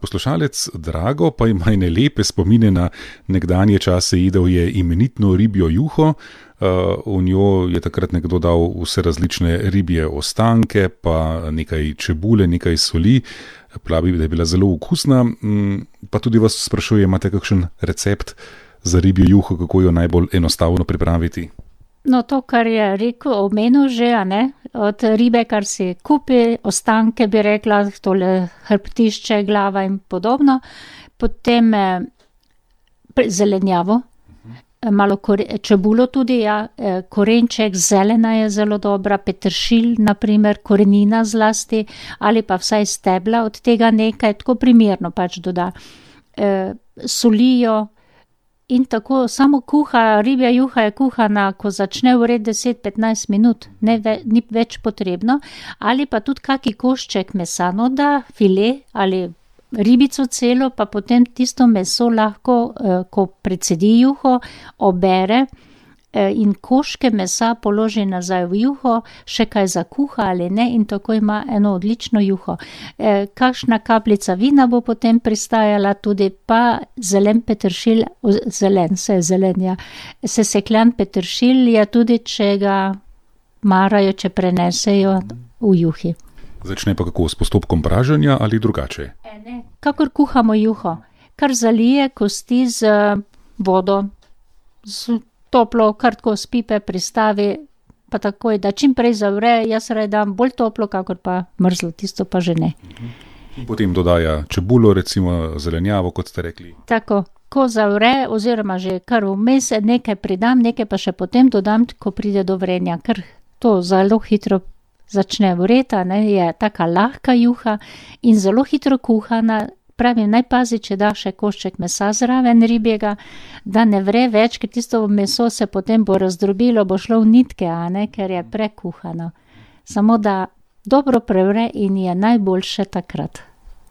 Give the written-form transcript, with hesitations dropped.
Poslušalec Drago pa ima ene lepe spomine na nekdanje čase, jedel je imenitno ribjo juho, v njo je takrat nekdo dal vse različne ribje ostanke, pa nekaj čebule, nekaj soli, pravi, da je bila zelo okusna, pa tudi vas sprašuje, imate kakšen recept za ribjo juho, kako jo najbolj enostavno pripraviti? No, to, kar je rekel, omenil že, a ne, od ribe, kar si kupi, ostanke bi rekla, tole hrbtišče, glava in podobno, potem zelenjavo, malo čebulo tudi, ja, korenček, zelena je zelo dobra, peteršilj, naprimer, korenina zlasti, ali pa vsaj stebla od tega nekaj, tako primerno pač doda. Solijo. In tako samo kuha, ribja juha je kuhana, ko začne vreti 10-15 minut, ni več potrebno, ali pa tudi kaki košček mesa, no da file ali ribico celo, pa potem tisto meso lahko, ko precedi juho, obere in koške mesa položi nazaj v juho, še kaj zakuha ali ne in tako ima eno odlično juho. Kakšna kapljica vina bo potem pristajala, tudi pa zelen peteršilj, sesekljan peteršilj je tudi, če ga marajo, če prenesejo v juhi. Začne pa kako, s postopkom praženja ali drugače? Ne, kakor kuhamo juho, kar zalije kosti z vodo, z toplo, kar tako z pipe pristavi, pa takoj, da čim prej zavre, jaz dam bolj toplo, kakor pa mrzlo, tisto pa že ne. In potem dodaja čebulo, recimo zelenjavo, kot ste rekli. Tako, ko zavre, oziroma že kar vmes nekaj pridam, nekaj pa še potem dodam, ko pride do vrenja, ker to zelo hitro začne vreti, ne, je taka lahka juha in zelo hitro kuhana. Pravim, naj pazi, če da še košček mesa zraven ribjega, da ne vre več, ker tisto meso se potem bo razdrobilo, bo šlo v nitke, a ne, ker je prekuhano. Samo da dobro prevre in je najboljše takrat.